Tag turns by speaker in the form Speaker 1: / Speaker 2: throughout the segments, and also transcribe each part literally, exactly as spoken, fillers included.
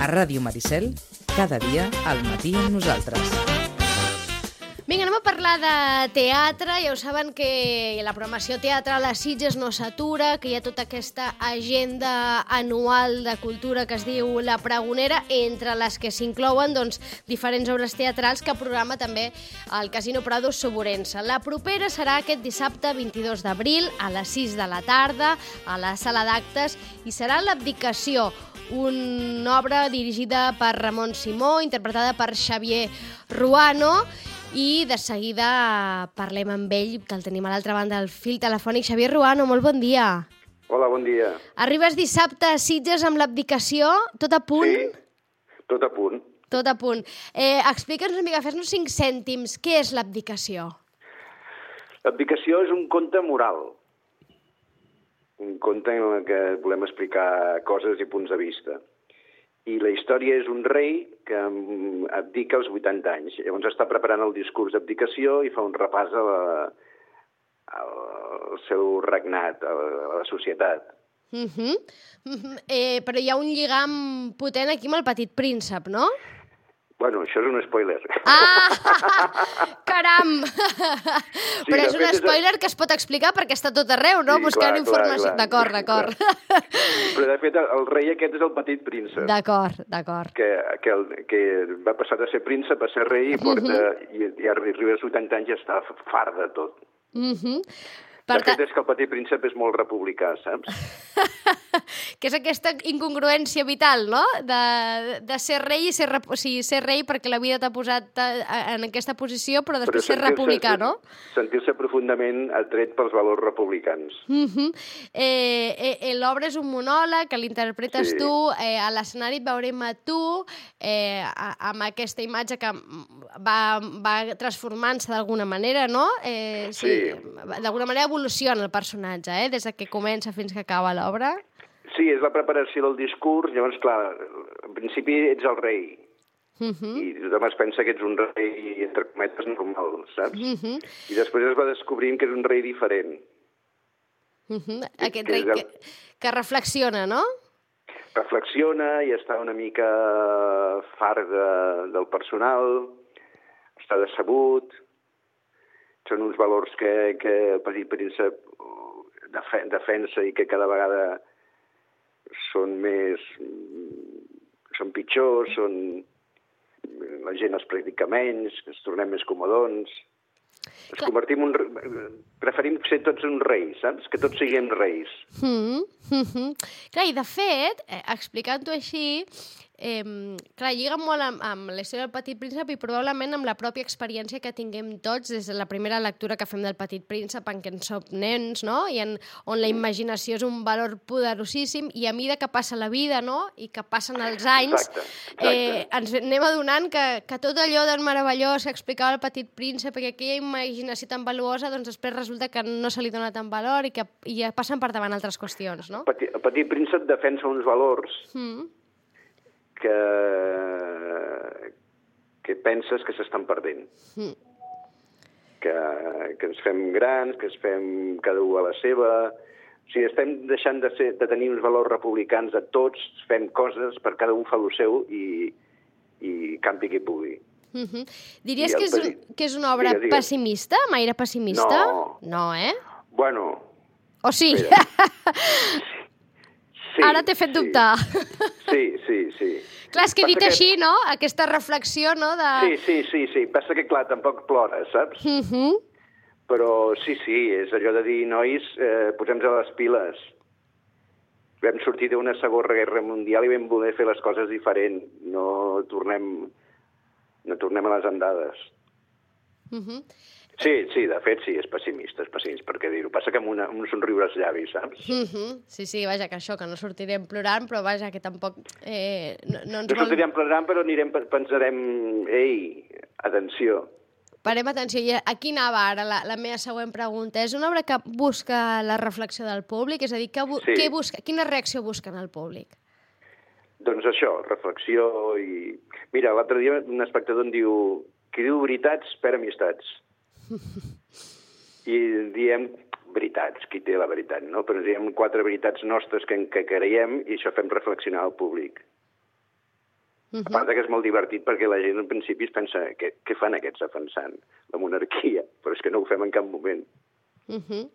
Speaker 1: A Ràdio Maricel, cada dia al matí amb nosaltres.
Speaker 2: Vinga, anem a parlar de teatre. Ja ho saben que la programació teatral a Sitges no s'atura, que hi ha tota aquesta agenda anual de cultura que es diu La Pregonera, entre les que s'inclouen doncs, diferents obres teatrals que programa també el Casino Prado Soborense. La propera serà aquest dissabte vint-i-dos d'abril a les sis de la tarda a la sala d'actes i serà L'Abdicació, una obra dirigida per Ramon Simó, interpretada per Xavier Ruano. I de seguida parlem amb ell, que el tenim a l'altra banda del fil telefònic. Xavier Ruano, molt bon dia.
Speaker 3: Hola, bon dia.
Speaker 2: Arribes dissabte a Sitges amb L'Abdicació, tot a punt?
Speaker 3: Sí, tot a punt.
Speaker 2: Tot a punt. Eh, Explica'ns una mica, fes-nos cinc cèntims. Què és L'Abdicació?
Speaker 3: L'Abdicació és un conte moral. Un conte en què volem explicar coses i punts de vista. I la història és un rei que abdica als vuitanta anys. Llavors està preparant el discurs d'abdicació i fa un repàs a la, al seu regnat, a la, a la societat.
Speaker 2: Uh-huh. Uh-huh. Eh, però hi ha un lligam potent aquí amb el Petit Príncep, no?
Speaker 3: Bueno, això és un spoiler.
Speaker 2: Ah! Caram! Sí, però és un spoiler és... que es pot explicar perquè està tot arreu, no? Sí, buscant clar, informació. D'acord, d'acord.
Speaker 3: Però, de fet, el rei aquest és el Petit Príncep.
Speaker 2: D'acord, d'acord.
Speaker 3: Que, que, el, que va passar de ser príncep a ser rei i, porta, uh-huh. i, i arriba als vuitanta anys i està fart de tot. Uh-huh. Per de fet, és que el Petit Príncep és molt republicà, saps?
Speaker 2: Que és aquesta incongruència vital, no? De, de ser rei i ser, o sigui, ser rei perquè la vida t'ha posat en aquesta posició, però després però ser republicà, no?
Speaker 3: Sentir-se profundament atret pels valors republicans.
Speaker 2: Uh-huh. eh, eh, L'obra és un monòleg que l'interpretes sí. tu, eh, a l'escenari et veurem a tu, eh, amb aquesta imatge que va, va transformant-se d'alguna manera, no? Eh, sí. sí. D'alguna manera evoluciona el personatge, eh? Des que comença fins que acaba l'obra.
Speaker 3: Sí, és la preparació del discurs. Llavors, clar, en principi ets el rei. Uh-huh. I tothom es pensa que ets un rei, entre cometes, normal, saps? Uh-huh. I després es va descobrint que és un rei diferent.
Speaker 2: Uh-huh. Aquest que rei el... que, que reflexiona, no?
Speaker 3: Reflexiona i està una mica fart de, del personal, està decebut. Són uns valors que, que el Petit Príncep defensa i que cada vegada són més... són pitjors, són... la gent els practica menys, ens tornem més comodons. Ens convertim en... Preferim ser tots un rei, saps? Que tots siguem reis.
Speaker 2: Mm -hmm. Clar, i de fet, eh, explicant-ho així, eh, clar, lliga molt amb, amb la història del Petit Príncep i probablement amb la pròpia experiència que tinguem tots des de la primera lectura que fem del Petit Príncep, en què en som nens, no? I en, on la imaginació és un valor poderosíssim i a mesura que passa la vida, no? I que passen els anys,
Speaker 3: exacte, exacte.
Speaker 2: Eh, ens anem adonant que, que tot allò tan meravellós que explicava el Petit Príncep i aquella imaginació tan valuosa, doncs després resulta que no se li dona tant valor i que i ja passen per davant altres qüestions, no?
Speaker 3: Petit, el Petit Príncep defensa uns valors mm. que, que penses que s'estan perdent. Mm. Que, que ens fem grans, que ens fem cada un a la seva... O sigui, estem deixant de, ser, de tenir uns valors republicans a tots, fem coses per cada un fa el seu i, i campi qui pugui.
Speaker 2: Mm-hmm. Diries que és, petit... que és una obra digue, digue. pessimista, amb aire pessimista?
Speaker 3: No.
Speaker 2: No, eh?
Speaker 3: Bueno...
Speaker 2: O sí?
Speaker 3: Sí,
Speaker 2: ara t'he fet
Speaker 3: sí.
Speaker 2: dubtar.
Speaker 3: Sí, sí, sí.
Speaker 2: Clar, és que he dit que... així, no? Aquesta reflexió, no? De...
Speaker 3: Sí, sí, sí, sí. Passa que, clar, tampoc plora, saps?
Speaker 2: Uh-huh.
Speaker 3: Però sí, sí, és allò de dir, nois, eh, posem-nos a les piles. Vam sortir d'una segona guerra mundial i vam voler fer les coses diferent. No tornem, no tornem a les andades. Uh-huh. Sí, sí, de fet, sí, és pessimista, és pessimista, perquè dir-ho. Passa que amb, una, amb un somriure als llavis, saps?
Speaker 2: Uh-huh. Sí, sí, vaja, que això, que no sortirem plorant, però vaja, que tampoc... Eh, no, no, ens
Speaker 3: no sortirem vol... plorant, però anirem, pensarem, ei, atenció.
Speaker 2: Parem atenció. I aquí anava ara la, la meva següent pregunta. És una obra que busca la reflexió del públic? És a dir, que bu sí. què busca, quina reacció busquen al públic?
Speaker 3: Doncs això, reflexió i... Mira, l'altre dia un espectador em diu qui diu veritats perd amistats. I diem veritats, qui té la veritat, no? Però diem quatre veritats nostres que, que creiem i això fem reflexionar al públic. Uh -huh. A part que és molt divertit perquè la gent en principi es pensa què, què fan aquests defensant la monarquia, però és que no ho fem en cap moment.
Speaker 2: Uh -huh.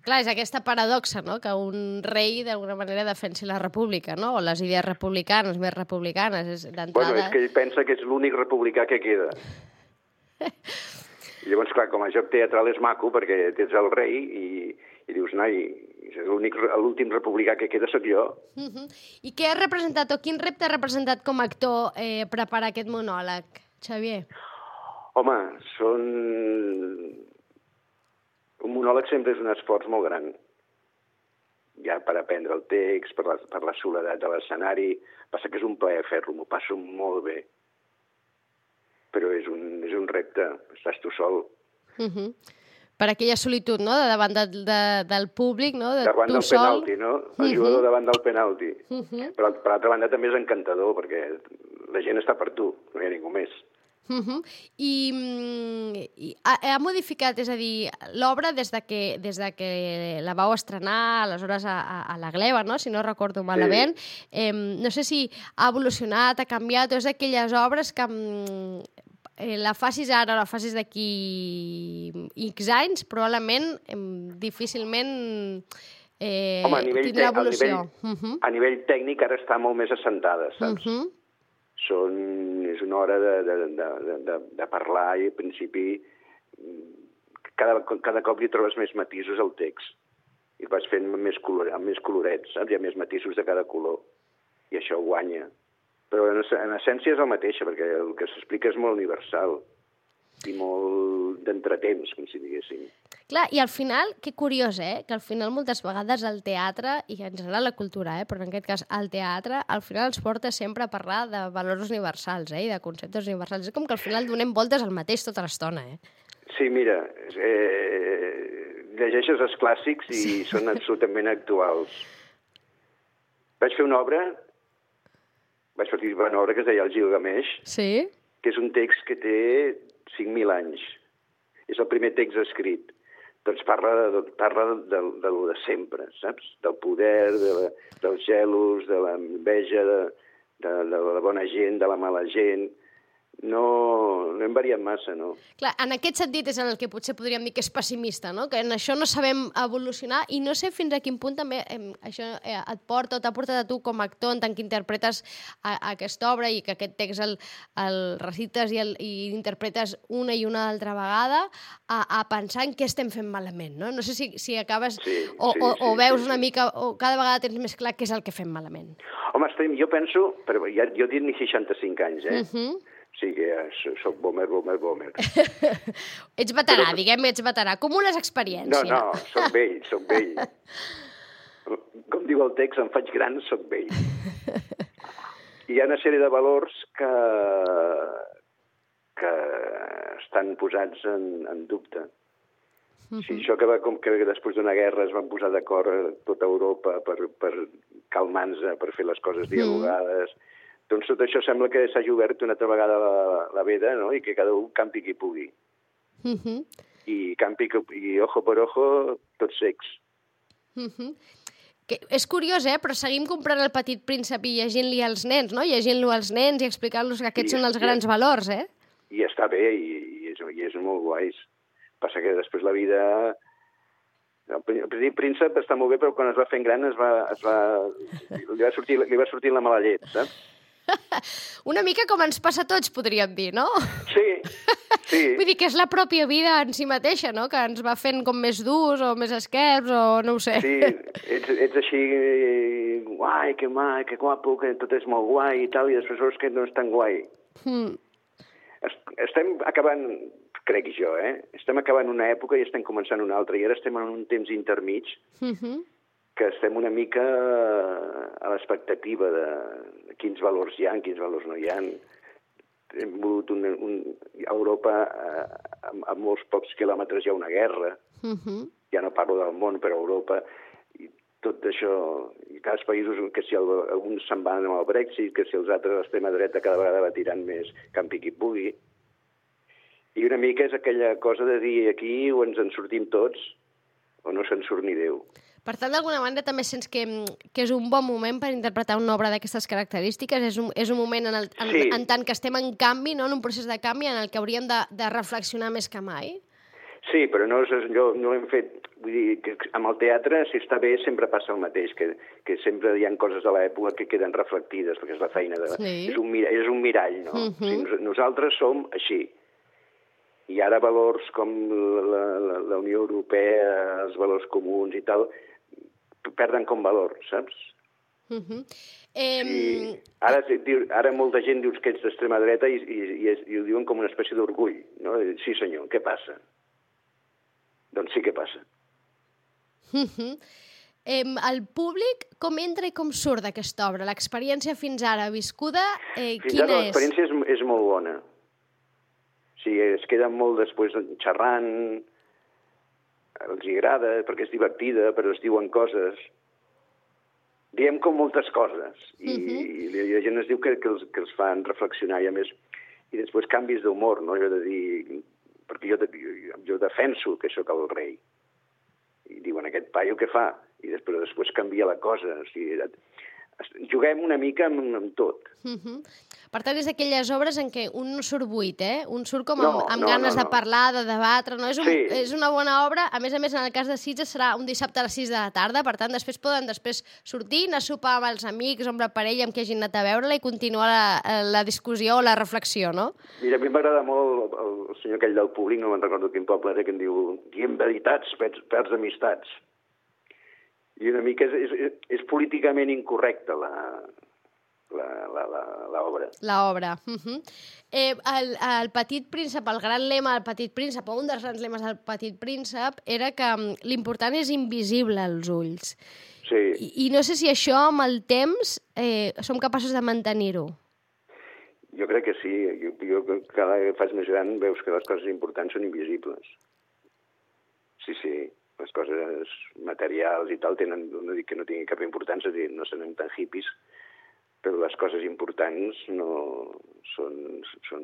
Speaker 2: Clar, és aquesta paradoxa, no?, que un rei d'alguna manera defensi la república, no?, o les idees republicanes, més republicanes, és d'entrada...
Speaker 3: Bueno, és que ell pensa que és l'únic republicà que queda. I llavors, clar, com a joc teatral és maco perquè ets el rei i, i dius, noi, l'últim republicà que queda sóc jo.
Speaker 2: Uh -huh. I què ha representat, o quin repte ha representat com a actor eh, preparar aquest monòleg, Xavier?
Speaker 3: Home, són... Un monòleg sempre és un esforç molt gran. Ja per aprendre el text, per la, per la soledat de l'escenari. Passa que és un plaer fer-lo, m'ho passo molt bé. Però és un, és un repte, estàs tu sol.
Speaker 2: Uh -huh. Per aquella solitud, no?, de davant de, de, del públic, no?, de
Speaker 3: davant
Speaker 2: tu
Speaker 3: del
Speaker 2: sol.
Speaker 3: penalti, no? El jugador uh -huh. davant del penalti.
Speaker 2: Uh -huh.
Speaker 3: Però, per altra banda, també és encantador, perquè la gent està per tu, no hi ha ningú més.
Speaker 2: Uh -huh. I, i ha, ha modificat, és a dir, l'obra des de que des de que la vau estrenar, aleshores a, a, a la Gleva, no?, si no recordo malament. Sí. Eh, no sé si ha evolucionat, ha canviat, o és d'aquelles obres que eh, la facis ara o la facis d'aquí X anys, probablement eh, difícilment eh,
Speaker 3: Home, a nivell,
Speaker 2: tindrà evolució.
Speaker 3: A nivell, uh -huh. a nivell tècnic ara està molt més assentada, saps? Uh -huh. Són, és una hora de, de, de, de, de parlar i, al principi, cada, cada cop hi trobes més matisos al text. I el vas fent més, color, amb més colorets, saps? Hi ha més matisos de cada color. I això guanya. Però en, en essència és el mateix, perquè el que s'explica és molt universal i molt d'entretemps, com si diguéssim.
Speaker 2: Clar, i al final, que curiós, eh?, que al final moltes vegades el teatre, i en general la cultura, eh?, però en aquest cas el teatre, al final ens porta sempre a parlar de valors universals, eh?, i de conceptes universals. És com que al final donem voltes al mateix tota l'estona, eh?
Speaker 3: Sí, mira, eh, llegeixes els clàssics i sí. Són absolutament actuals. Vaig fer una obra, vaig fer una obra que es deia El Gilgamesh,
Speaker 2: sí?
Speaker 3: Que és un text que té cinc mil anys. És el primer text escrit. Doncs parla de, parla de, de, de lo de sempre, saps? Del poder, de la, dels gelos, de l'enveja, de, de, de la bona gent, de la mala gent. No, no hem variat massa, no?
Speaker 2: Clar, en aquest sentit és en el que potser podríem dir que és pessimista, no?, que en això no sabem evolucionar, i no sé fins a quin punt també eh, això eh, et porta o t'ha portat a tu com a actor, en tant que interpretes a, a aquesta obra i que aquest text el, el recites i, el, i interpretes una i una altra vegada, a, a pensar en què estem fent malament, no? No sé si, si acabes
Speaker 3: sí,
Speaker 2: o,
Speaker 3: sí,
Speaker 2: o,
Speaker 3: sí,
Speaker 2: o veus
Speaker 3: sí,
Speaker 2: una
Speaker 3: sí.
Speaker 2: mica, o cada vegada tens més clar què és el que fem malament.
Speaker 3: Home, estem, jo penso, però ja, jo tinc seixanta-cinc anys, eh?
Speaker 2: Uh -huh.
Speaker 3: O sigui, soc boomer, boomer, boomer.
Speaker 2: Ets veterà, però... diguem, ets veterà. Acumules experiència.
Speaker 3: No, no, soc vell, soc vell. Com diu el text, em faig gran, soc vell. Hi ha una sèrie de valors que, que estan posats en, en dubte. Uh -huh. Sí, això que, va, com que després d'una guerra es van posar d'acord a tota Europa per, per calmar-nos, per fer les coses dialogades... Uh -huh. Doncs tot això sembla que s'hagi obert una altra vegada la, la veda, no?, i que cada un campi qui pugui.
Speaker 2: Uh -huh.
Speaker 3: I campi i ojo per ojo, tots secs.
Speaker 2: Uh -huh. Que és curiós, eh?, però seguim comprant El Petit Príncep i llegint-li als nens, no?, llegint-lo als nens i explicant-los que aquests I, són els grans i, valors, eh?
Speaker 3: I està bé, i, i, és, i és molt guais. Passa que després la vida... El Petit Príncep està molt bé, però quan es va fent gran es va, es va, li, va sortir, li va sortir la mala llet, saps?
Speaker 2: Una mica com ens passa a tots, podríem dir, no?
Speaker 3: Sí, sí.
Speaker 2: Vull dir que és la pròpia vida en si mateixa, no?, que ens va fent com més durs o més esquerps o no ho sé.
Speaker 3: Sí, ets, ets així guai, que mai, que guapo, que tot és molt guai i tal, i després veus que no és tan guai. Hmm. Estem acabant, crec jo, eh? Estem acabant una època i estem començant una altra, i ara estem en un temps intermig uh-huh. que estem una mica a l'expectativa de quins valors hi ha, quins valors no hi ha. Hem volgut un, un, a Europa, a, a molts pocs quilòmetres hi ha una guerra. Uh-huh. Ja no parlo del món, però a Europa, i tot això, i cada països, que si el, alguns se'n van amb el Brexit, que si els altres, l'extrema dreta, cada vegada va tirant més campi qui pugui. I una mica és aquella cosa de dir aquí o ens en sortim tots o no se'n surt ni Déu.
Speaker 2: Per tant, d'alguna manera també sents que, que és un bon moment per interpretar una obra d'aquestes característiques, és un, és un moment en, el, en,
Speaker 3: Sí.
Speaker 2: en tant que estem en canvi, no? En un procés de canvi en el que hauríem de, de reflexionar més que mai.
Speaker 3: Sí, però no, és, jo, no l'hem fet... Vull dir, que amb el teatre, si està bé, sempre passa el mateix, que, que sempre hi ha coses de l'època que queden reflectides, perquè és la feina de...
Speaker 2: Sí.
Speaker 3: És, un mirall, és un mirall, no?
Speaker 2: Uh -huh.
Speaker 3: O sigui, nos, nosaltres som així. I ara valors com la, la, la Unió Europea, els valors comuns i tal, perden com valor, saps?
Speaker 2: Uh -huh. eh...
Speaker 3: I ara, ara molta gent dius que ets d'extrema dreta i, i, i, i ho diuen com una espècie d'orgull, no? Sí, senyor, què passa? Doncs sí que passa.
Speaker 2: Uh -huh. eh, el públic com entra i com surt d'aquesta obra? L'experiència fins ara viscuda, eh,
Speaker 3: Fins
Speaker 2: quina
Speaker 3: ara
Speaker 2: és?
Speaker 3: l'experiència és, és molt bona. O sigui, es queden molt després xerrant, els hi agrada perquè és divertida, però es diuen coses. Diem com moltes coses i, uh -huh. i la gent es diu que, que, els, que els fan reflexionar i a més, i després canvis d'humor, no? Jo he de dir, perquè jo, jo, jo defenso que sóc el rei. I diuen, aquest paio què fa? I després, després canvia la cosa. O sigui, juguem una mica amb, amb tot.
Speaker 2: Uh -huh. Per tant, és d'aquelles obres en què un no surt buit, eh? Un surt com
Speaker 3: no,
Speaker 2: amb, amb
Speaker 3: no,
Speaker 2: ganes
Speaker 3: no, no.
Speaker 2: de parlar, de debatre, no? És, un,
Speaker 3: sí.
Speaker 2: és una bona obra. A més a més, en el cas de Sitges serà un dissabte a les sis de la tarda, per tant, després poden després sortir, anar a sopar amb els amics o amb la parella amb qui hagin anat a veure-la i continuar la, la discussió o la reflexió, no?
Speaker 3: Mira, a mi m'agrada molt el, el senyor aquell del públic, no me'n recordo quin poble era, que em diu, diem veritats, perds, perds amistats. I una mica és, és, és políticament incorrecta la... l'obra.
Speaker 2: L'obra. Uh -huh. eh, el, el Petit Príncep, el gran lema del Petit Príncep, o un dels grans lemes del Petit Príncep, era que l'important és invisible als ulls.
Speaker 3: Sí.
Speaker 2: I, I no sé si això, amb el temps, eh, som capaços de mantenir-ho.
Speaker 3: Jo crec que sí. Jo, jo cada vegada que fas més gran veus que les coses importants són invisibles. Sí, sí. Les coses materials i tal tenen, no dic que no tinguin cap importància, no són tan hippies, però les coses importants no són, són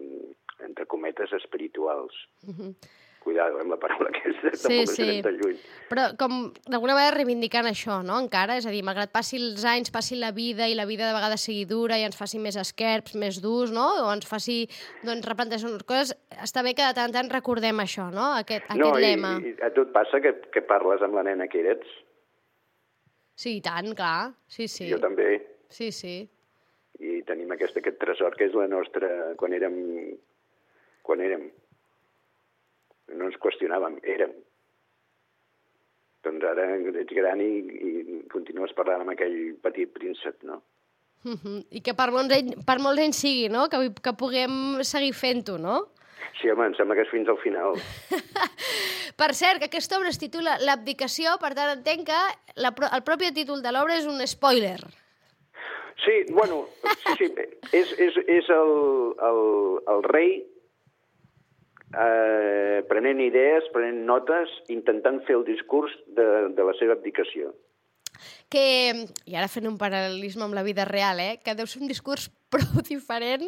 Speaker 3: entre cometes, espirituals. Uh -huh. Cuidado amb la paraula aquesta,
Speaker 2: sí,
Speaker 3: tampoc
Speaker 2: sí.
Speaker 3: ens anem tan lluny.
Speaker 2: Però com d'alguna vegada reivindicant això, no?, encara, és a dir, malgrat passi els anys, passi la vida, i la vida de vegades sigui dura i ens faci més esquerps, més durs, no?, o ens faci, doncs, replantejar unes coses, està bé que de tant en tant recordem això, no?, aquest, aquest
Speaker 3: no,
Speaker 2: lema.
Speaker 3: No, i, i a tu et passa que, que parles amb la nena que eres?
Speaker 2: Sí, i tant, clar, sí, sí.
Speaker 3: Jo també.
Speaker 2: Sí, sí.
Speaker 3: I tenim aquest, aquest tresor que és la nostra... Quan érem... Quan érem... No ens qüestionàvem, érem. Doncs ara ets gran i, i continues parlant amb aquell petit príncep, no?
Speaker 2: Uh -huh. I que per molts anys, per molts anys sigui, no?, que, que puguem seguir fent-ho, no?
Speaker 3: Sí, home, em sembla que és fins al final.
Speaker 2: Per cert, que aquesta obra es titula L'abdicació, per tant entenc que la, el propi títol de l'obra és un spoiler.
Speaker 3: Sí, bueno, sí, sí, és, és, és el, el, el rei eh, prenent idees, prenent notes, intentant fer el discurs de, de la seva abdicació.
Speaker 2: Que, i ara fent un paral·lelisme amb la vida real, eh, que deu ser un discurs prou diferent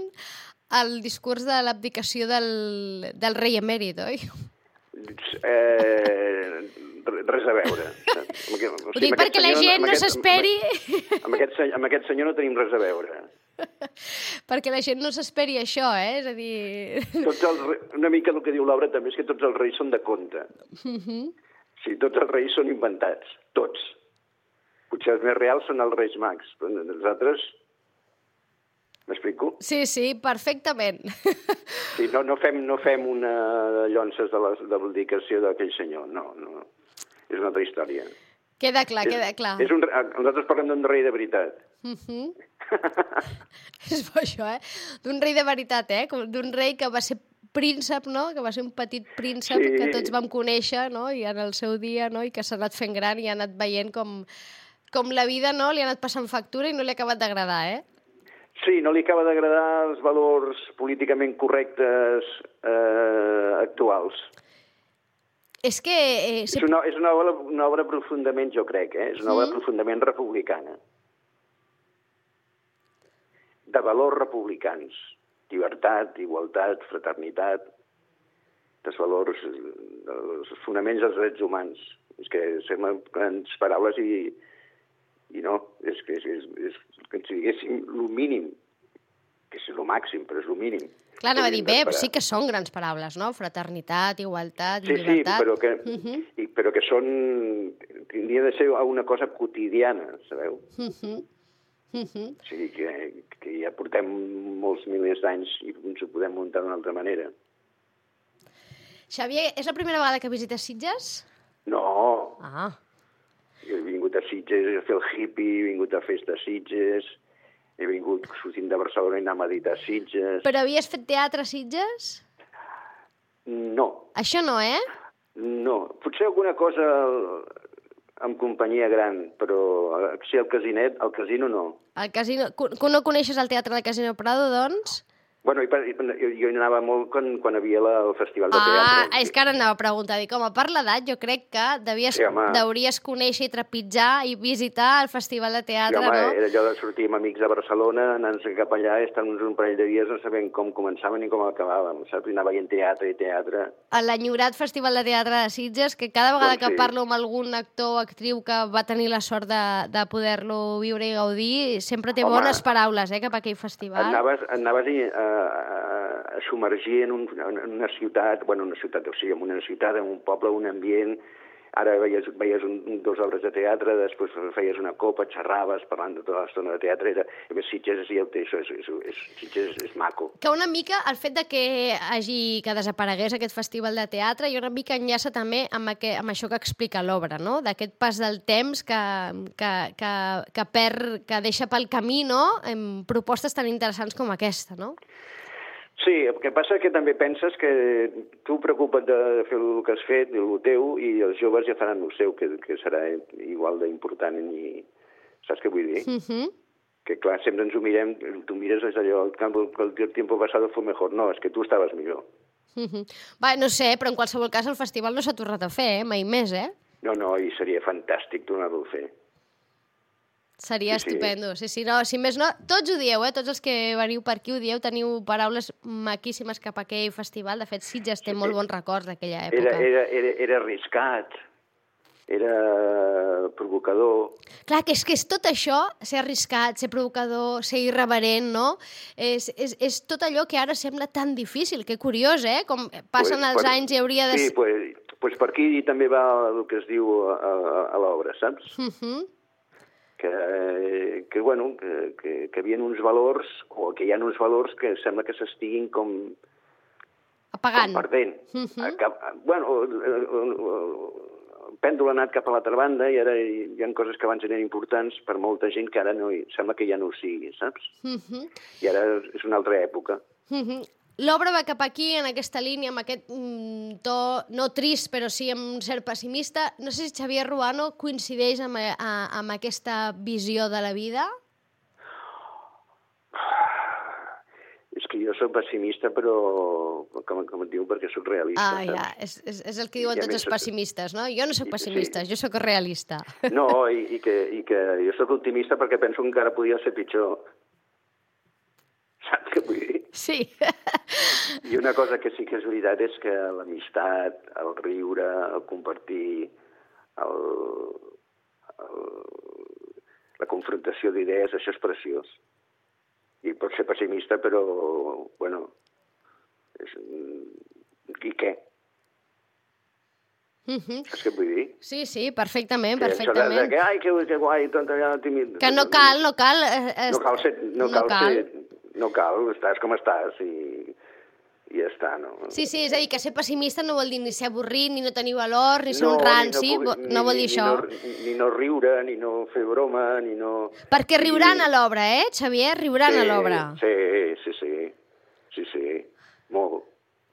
Speaker 2: al discurs de l'abdicació del, del rei emèrit, oi?
Speaker 3: Eh, res a veure. O sigui,
Speaker 2: Ho dic perquè la gent no s'esperi...
Speaker 3: Amb, aquest, amb aquest senyor no tenim res a veure.
Speaker 2: Perquè la gent no s'esperi això, eh? És a dir...
Speaker 3: Tots els, una mica el que diu l'obra també és que tots els reis són de conte. Uh -huh. Sí, tots els reis són inventats, tots. Potser els més reals són els reis mags, però els altres... M'explico?
Speaker 2: Sí, sí, perfectament.
Speaker 3: Sí, no, no, fem, no fem una llonces de l'abdicació d'aquell senyor, no, no. És una altra història.
Speaker 2: Queda clar,
Speaker 3: és,
Speaker 2: queda clar.
Speaker 3: És un, nosaltres parlem d'un rei de veritat.
Speaker 2: Uh -huh. És bo això, eh? D'un rei de veritat, eh? D'un rei que va ser príncep, no?, que va ser un petit príncep sí. que tots vam conèixer, no?, i en el seu dia, no?, i que s'ha anat fent gran i ha anat veient com, com la vida, no?, li ha anat passant factura i no li ha acabat d'agradar, eh?
Speaker 3: Sí, no li acaba d'agradar els valors políticament correctes eh, actuals.
Speaker 2: És que... Eh,
Speaker 3: si... És, una, és una, obra, una obra profundament, jo crec, eh? És una obra mm. profundament republicana. De valors republicans. Llibertat, igualtat, fraternitat, dels valors, dels fonaments dels drets humans. És que semblen grans paraules i, i no, és que és, és, és que si diguéssim el mínim, que és el màxim, però és el mínim.
Speaker 2: Clar, anava a dir, bé, sí que són grans paraules, no? Fraternitat, igualtat,
Speaker 3: sí,
Speaker 2: llibertat...
Speaker 3: Sí, però que,
Speaker 2: uh -huh.
Speaker 3: i, però que són... Tindria de ser una cosa quotidiana, sabeu?
Speaker 2: Uh -huh. Uh -huh.
Speaker 3: O sigui, que, que ja portem molts milers d'anys i ens ho podem muntar d'una altra manera.
Speaker 2: Xavier, és la primera vegada que visites Sitges?
Speaker 3: No.
Speaker 2: Ah.
Speaker 3: Jo he vingut a Sitges a fer el hippie, he vingut a festa a Sitges, he vingut sortint de Barcelona i anar a meditar a Sitges...
Speaker 2: Però havies fet teatre a Sitges?
Speaker 3: No.
Speaker 2: Això no, eh?
Speaker 3: No. Potser alguna cosa amb companyia gran, però si el casinet, el casino no.
Speaker 2: El casino... No coneixes el teatre del Casino Prado, doncs?
Speaker 3: Bueno, i, i, jo hi anava molt quan, quan havia la, el festival de
Speaker 2: ah,
Speaker 3: teatre.
Speaker 2: Ah, és que ara anava a preguntar, dic, home, per l'edat jo crec que devies,
Speaker 3: sí,
Speaker 2: deuries conèixer i trepitjar i visitar el festival de teatre,
Speaker 3: sí, home,
Speaker 2: no?
Speaker 3: Era allò de sortir amb amics a Barcelona, anar-nos cap allà, estar uns un parell de dies no sabent com començàvem ni com acabàvem, saps? I anar veient teatre i teatre.
Speaker 2: L'enyorat Festival de Teatre de Sitges, que cada vegada
Speaker 3: doncs
Speaker 2: que
Speaker 3: sí.
Speaker 2: parlo amb algun actor o actriu que va tenir la sort de, de poder-lo viure i gaudir, sempre té home, bones paraules, eh, cap a aquell festival.
Speaker 3: Anaves, anaves a, a, a submergir en, un, en una ciutat, bueno, una ciutat, o sigui, en una ciutat, en un poble, un ambient. Ara veies, veies un, dos obres de teatre, després feies una copa, xerraves, parlant de tota l'estona de teatre. Era, a més, Sitges ja ho té, això és, és, és, Sitges és, és maco.
Speaker 2: Que una mica el fet de que hagi que desaparegués aquest festival de teatre i una mica enllaça també amb, aquest, amb això que explica l'obra, no? D'aquest pas del temps que, que, que, que, per, que deixa pel camí, no? En propostes tan interessants com aquesta, no?
Speaker 3: Sí, el que passa és que també penses que tu preocupa't de fer el que has fet, el teu, i els joves ja faran el seu, que, que serà igual d'important. I, saps què vull dir?
Speaker 2: Uh -huh.
Speaker 3: Que clar, sempre ens ho mirem, tu mires és allò, el, el tiempo pasado fue mejor. No, és que tu estaves millor.
Speaker 2: Uh -huh. Va, no sé, però en qualsevol cas el festival no s'ha tornat a fer, eh? Mai més, eh?
Speaker 3: No, no, i seria fantàstic tornar-lo a fer.
Speaker 2: Seria sí, estupendo. Sí, sí, no, si més no, tots ho dieu, eh? Tots els que veniu per aquí ho dieu, teniu paraules maquíssimes cap a aquell festival. De fet, Sitges té sí, molt bons records d'aquella època.
Speaker 3: Era, era, era, era arriscat, era provocador.
Speaker 2: Clar, que és que és tot això, ser arriscat, ser provocador, ser irreverent, no? És, és, és tot allò que ara sembla tan difícil. Que curiós, eh? Com passen pues, els per, anys i hauria de...
Speaker 3: Sí, doncs pues, pues per aquí també va el que es diu a, a, a l'obra, saps?
Speaker 2: Uh -huh.
Speaker 3: Que, que, bueno, que, que, que hi havia uns valors, o que hi ha uns valors que sembla que s'estiguin com...
Speaker 2: apagant.
Speaker 3: Com perdent. Uh -huh. Cap, bueno, el, el, el pèndol ha anat cap a l'altra banda i ara hi ha coses que abans eren importants per molta gent que ara no hi, sembla que ja no ho sigui, saps? Uh -huh. I ara és una altra època.
Speaker 2: Uh -huh. L'obra va cap aquí, en aquesta línia, amb aquest mm, to, no trist, però sí amb un cert pessimista. No sé si Xavier Ruano coincideix amb, a, amb aquesta visió de la vida?
Speaker 3: És que jo soc pessimista, però, com, com et diu, perquè soc realista.
Speaker 2: Ah, ja, és, és, és el que diuen tots els pessimistes, no? Jo no soc pessimista, sí. Jo sóc realista.
Speaker 3: No, i, i, que, i que jo soc optimista perquè penso que encara podia ser pitjor. Saps què vull dir?
Speaker 2: Sí.
Speaker 3: I una cosa que sí que és veritat és que l'amistat, el riure, el compartir, el, el, la confrontació d'idees, això és preciós. I pot ser pessimista, però, bueno, és, i què?
Speaker 2: Uh -huh.
Speaker 3: Saps què vull dir?
Speaker 2: Sí, sí, perfectament,
Speaker 3: que
Speaker 2: perfectament.
Speaker 3: De que, ai, que, que guai, tant, ja, tímid.
Speaker 2: Que no cal, no cal...
Speaker 3: Eh, no cal ser... No, no cal, cal. Ser, no cal, estàs com estàs i, i ja està, no?
Speaker 2: Sí, sí, és a dir, que ser pessimista no vol dir ni ser avorrit, ni no tenir valor, ni ser no, un ranci, no, ni, no vol dir
Speaker 3: ni,
Speaker 2: això.
Speaker 3: Ni no, ni no riure, ni no fer broma, ni no...
Speaker 2: Perquè riuran a l'obra, eh, Xavier? Riuran
Speaker 3: sí,
Speaker 2: a l'obra.
Speaker 3: Sí, sí, sí, sí, sí, molt.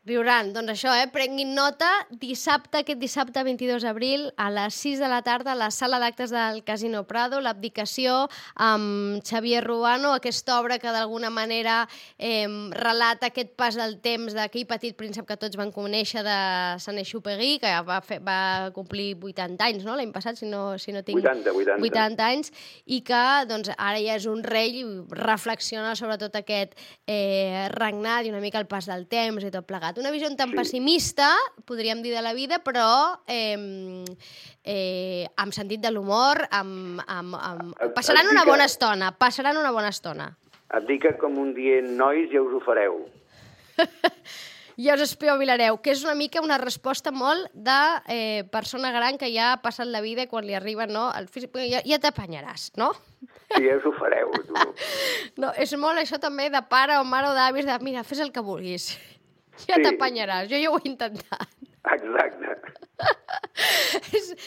Speaker 2: Riuran, doncs això, eh? Prenguin nota, dissabte, aquest dissabte vint-i-dos d'abril, a les sis de la tarda, a la sala d'actes del Casino Prado, l'abdicació amb Xavier Ruano, aquesta obra que d'alguna manera eh, relata aquest pas del temps d'aquell petit príncep que tots van conèixer de Saint-Exupéry, que va, fer, va complir vuitanta anys, no?, l'any passat, si no, si no tinc...
Speaker 3: vuitanta, vuitanta.
Speaker 2: vuitanta anys, i que doncs, ara ja és un rei i reflexiona sobre tot aquest eh, regnat i una mica el pas del temps i tot plegat. encantat. Una visió tan
Speaker 3: Sí.
Speaker 2: pessimista, podríem dir, de la vida, però eh, eh, amb sentit de l'humor, amb, amb, amb...
Speaker 3: Et-
Speaker 2: passaran
Speaker 3: et
Speaker 2: una
Speaker 3: dic
Speaker 2: bona
Speaker 3: que-
Speaker 2: estona, passaran una bona estona.
Speaker 3: Et dic que com un dient, nois, ja us ho fareu.
Speaker 2: Ja us espavilareu, que és una mica una resposta molt de eh, persona gran que ja ha passat la vida i quan li arriba, no, el físic, ja, ja t'apanyaràs, no?
Speaker 3: Sí, ja us ho fareu, tu.
Speaker 2: No, és molt això també de pare o mare o d'avis, de mira, fes el que vulguis. Ja
Speaker 3: Sí.
Speaker 2: t'apanyaràs, jo ja ho he intentat.
Speaker 3: Exacte.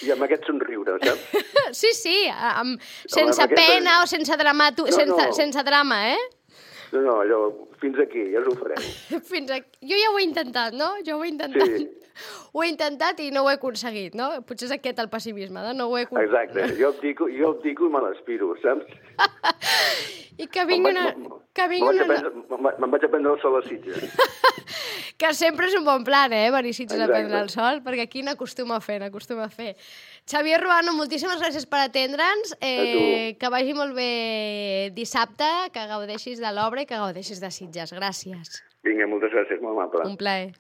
Speaker 3: I amb aquest somriure, saps?
Speaker 2: Sí, sí, amb, sense
Speaker 3: amb aquesta-
Speaker 2: pena o sense drama, tu,
Speaker 3: No,
Speaker 2: sense,
Speaker 3: no.
Speaker 2: sense drama, eh?
Speaker 3: No, no, allò, fins aquí, ja us ho fareu.
Speaker 2: Fins aquí. Jo ja ho he intentat, no? Jo ho he intentat.
Speaker 3: Sí.
Speaker 2: Ho he intentat i no ho he aconseguit, no? Potser és aquest el pessimisme, no? No ho he aconseguit.
Speaker 3: Exacte, jo abdico, jo abdico i me l'aspiro, saps?
Speaker 2: I que vingui
Speaker 3: Me'n
Speaker 2: una...
Speaker 3: vaig-
Speaker 2: Que
Speaker 3: me'n
Speaker 2: vingui
Speaker 3: vaig a
Speaker 2: una...
Speaker 3: prendre- Me'n me'n vaig a prendre el sol a Sitges.
Speaker 2: Que sempre és un bon plan, eh? Venir a Sitges a
Speaker 3: Exacte.
Speaker 2: prendre el sol, perquè aquí n'acostuma a fer, n'acostuma a fer. Xavier Ruano, moltíssimes gràcies per atendre'ns. Eh, que vagi molt bé dissabte, que gaudeixis de l'obra i que gaudeixis de Sitges. Gràcies.
Speaker 3: Vinga, moltes gràcies, molt amable.
Speaker 2: Un plaer.